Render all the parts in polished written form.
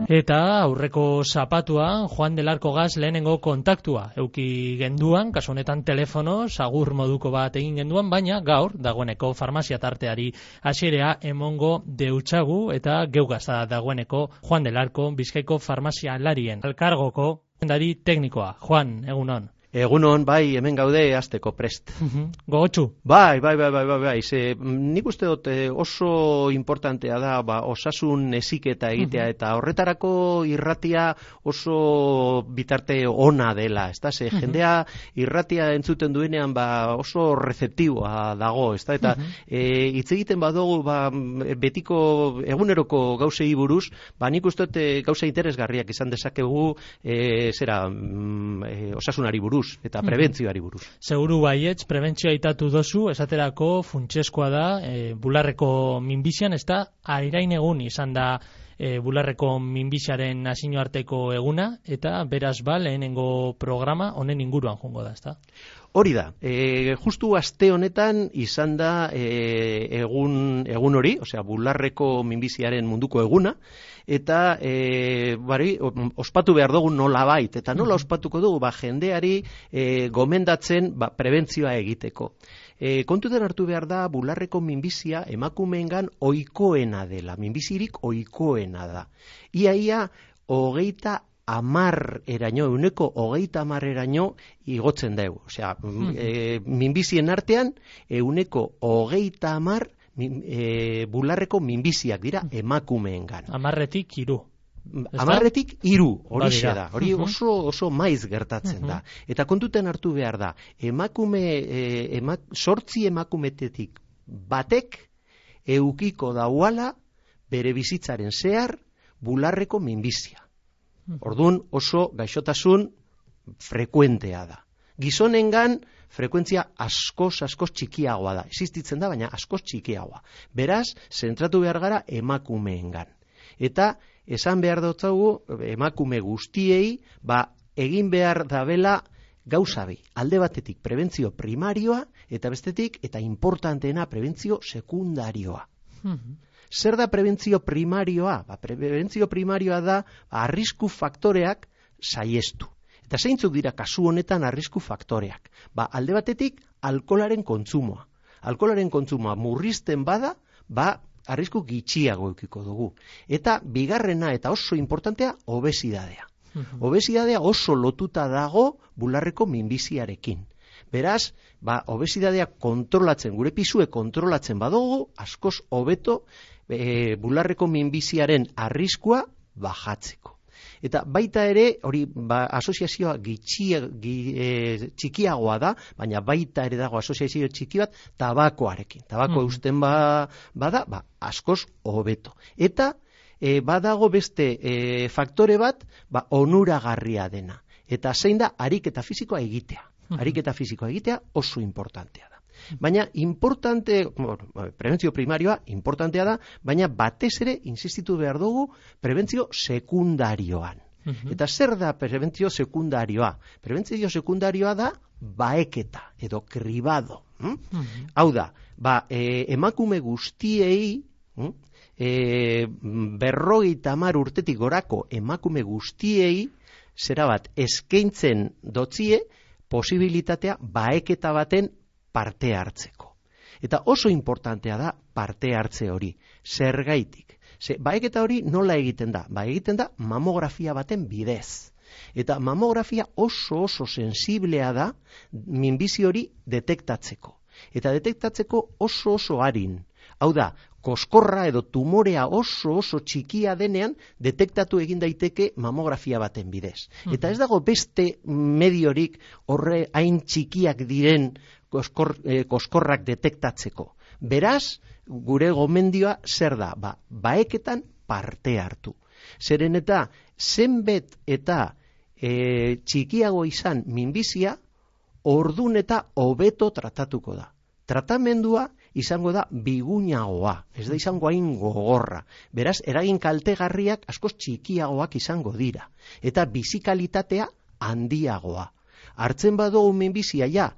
Eta aurreko zapatuan Juan del Arco gaz lehenengo kontaktua euki genduan, kasu honetan telefono, sagur moduko bat egin genduan, baina gaur dagoeneko farmazia tarteari hasierea emongo deutsagu eta geugazta dagoeneko Juan del Arco Bizkaiko farmazia larien elkargoko zuzendari teknikoa. Juan, egunon. Egunon, bai, hemen gaude hasteko prest. Gogotsu. Bai. Nik uste dut oso importantea da osasun heziketa egitea eta horretarako irratia oso bitarte ona dela, ezta? Ze jendea irratia entzuten duenean oso rezeptiboa dago, ezta? Eta hitz egiten badugu betiko eguneroko gauzei buruz, nik uste dut gauza interesgarriak izan dezakegu osasunari buruz eta prebentzioari buruz. Seguru baietz, prebentzioa aitatu dozu, esaterako funtsezkoa da, bularreko minbizian, ez da, airain egun izan da bularreko minbiziaren nazio arteko eguna, eta beraz lehenengo programa honen inguruan jongo da, ez da? Hori da, justu aste honetan izan da egun hori, osea, bularreko minbiziaren munduko eguna, eta ospatu behar dugu nolabait, eta nola ospatuko dugu, jendeari gomendatzen prebentzioa egiteko. Kontutan hartu behar da, bularreko minbizia emakumeengan ohikoena dela, minbizirik ohikoena da. Ia 30% eraino igotzen dugu. Osea, minbizien artean, 30% bularreko minbiziak dira emakumeengan. 10-3. 10-3, horixe da. Hori oso maiz gertatzen da. Eta kontutan hartu behar da, 8 emakumetetik batek eukiko dauala bere bizitzaren zehar bularreko minbizia. Orduan oso gaixotasun frekuentea da. Gizonengan frekuentzia askoz txikiagoa da. Existitzen da, baina askoz txikiagoa. Beraz, zentratu behar gara emakumeengan. Eta esan behar dutzagu emakume guztiei egin behar dabela gauza bi. Alde batetik prebentzio primarioa eta bestetik eta importanteena prebentzio sekundarioa. Zer da prebentzio primarioa? Prebentzio primarioa da arrisku faktoreak saihestu. Eta zeintzuk dira kasu honetan arrisku faktoreak? Alde batetik alkoholaren kontsumoa. Alkoholaren kontsumoa murrizten bada, arrisku gitxiago edukiko dugu. Eta bigarrena eta oso importantea obesidadea. Obesidadea oso lotuta dago bularreko minbiziarekin. Beraz, obesidadea kontrolatzen, gure pisue kontrolatzen badugu, askoz hobeto bularreko minbiziaren arriskua bajatzeko. Eta baita ere, hori asoziazioa txikiagoa da, baina baita ere dago asoziazio txiki bat tabakoarekin. Tabako eusten bada, askoz hobeto. Eta badago beste faktore bat, onuragarria dena. Eta zein da, ariketa fisikoa egitea. Ariketa fisikoa egitea oso importantea da. Baina prebentzio primarioa importantea da, baina batez ere insistitu behar dugu prebentzio sekundarioan. Eta zer da prebentzio sekundarioa? Prebentzio sekundarioa da baeketa edo kribado. Hau da, emakume guztiei 50 urtetik gorako emakume guztiei eskaintzen dotzie posibilitatea baeketa baten parte hartzeko. Eta oso importantea da parte hartze hori. Zergaitik? Baeketa hori nola egiten da? Egiten da mamografia baten bidez. Eta mamografia oso sensiblea da minbizi hori detektatzeko. Eta detektatzeko oso arin. Hau da, koskorra edo tumorea oso txikia denean detektatu egin daiteke mamografia baten bidez. Eta ez dago beste mediorik horre hain txikiak diren koskorrak detektatzeko. Beraz, gure gomendioa zer da? Baeketan parte hartu. Zeren eta zenbet eta txikiago izan minbizia, ordun eta hobeto tratatuko da. Tratamendua izango da bigunagoa, ez da izango hain gogorra. Beraz, eragin kaltegarriak askoz txikiagoak izango dira. Eta bizikalitatea handiagoa. Hartzen badugu minbizia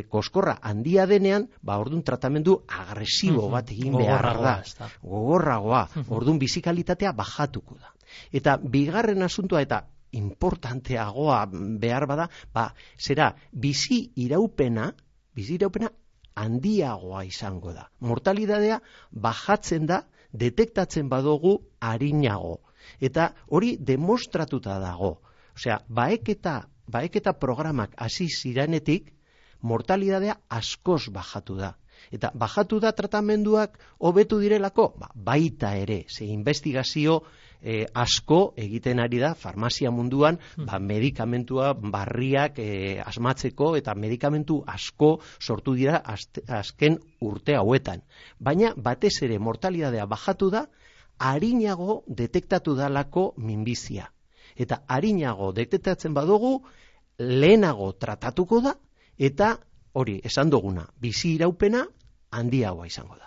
koskorra handia denean, orduan tratamendu agresibo bat egin behar da. Gogorragoa. Orduan bizikalitatea bajatuko da. Eta bigarren asuntua eta importanteagoa behar bada, zera, bizi iraupena handiagoa izango da. Mortalidadea bajatzen da, detektatzen badugu arinago. Eta hori demostratuta dago. Osea, baeketa programak hasi ziranetik, mortalidadea askoz bajatu da. Eta bajatu da tratamenduak hobetu direlako? Baita ere, ze investigazio asko egiten ari da farmazia munduan, medikamentua barriak asmatzeko eta medikamentu asko sortu dira azken urte hauetan. Baina batez ere mortalidadea bajatu da, arinago detektatu dalako minbizia. Eta arinago detektatzen badugu, lehenago tratatuko da, eta hori, esan duguna, bizi iraupena handiagoa izango da.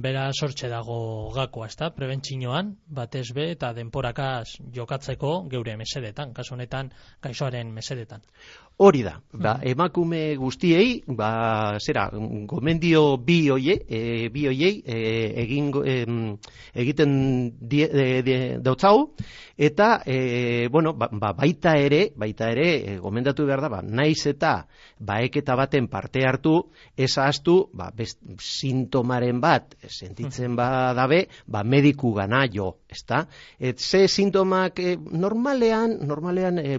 Bera sortxe dago gakoa, ezta? Prebentzioan, batez be, eta denporakaz jokatzeko geure mesedetan, kasu honetan gaixoaren mesedetan. Hori da, emakume guztiei, gomendio bi hoiei egiten dautzau, eta, baita ere, gomendatu behar da, naiz eta baeketa baten parte hartu, ez ahaztu, sintomaren bat, sentitzen badabe, mediku gana jo, ezta? Ze sintomak, normalean,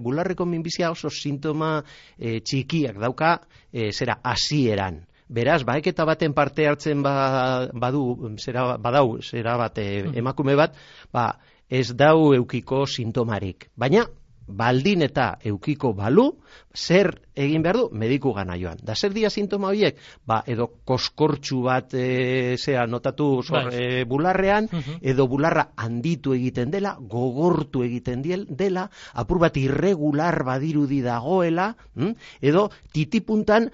bularreko minbizia oso sintoma txikiak dauka, hasieran. Beraz, baeketa baten parte hartzen badau, emakume bat, ez dau eukiko sintomarik. Baina, baldin eta eukiko balu, zer egin behar du? Mediku gana joan. Da zer dira sintoma horiek? Edo koskortxu bat notatu bularrean, edo bularra handitu egiten dela, gogortu egiten dela, apur bat irregular badirudi dagoela, edo titipuntan,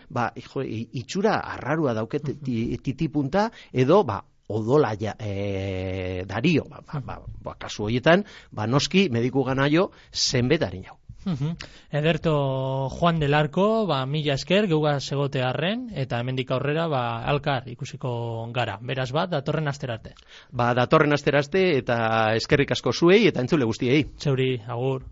itxura arrarua dauket titipunta, edo odola dario, kasu horietan, noski mediku gana jo zenbet harin jau. Ederto Juan del Arco, mila esker, geugaz egote arren, eta hemendik aurrera, alkar ikusiko gara. Beraz datorren asterarte. Datorren asterarte, eta eskerrik asko zuei, eta entzule guztiei. Zeuri, agur.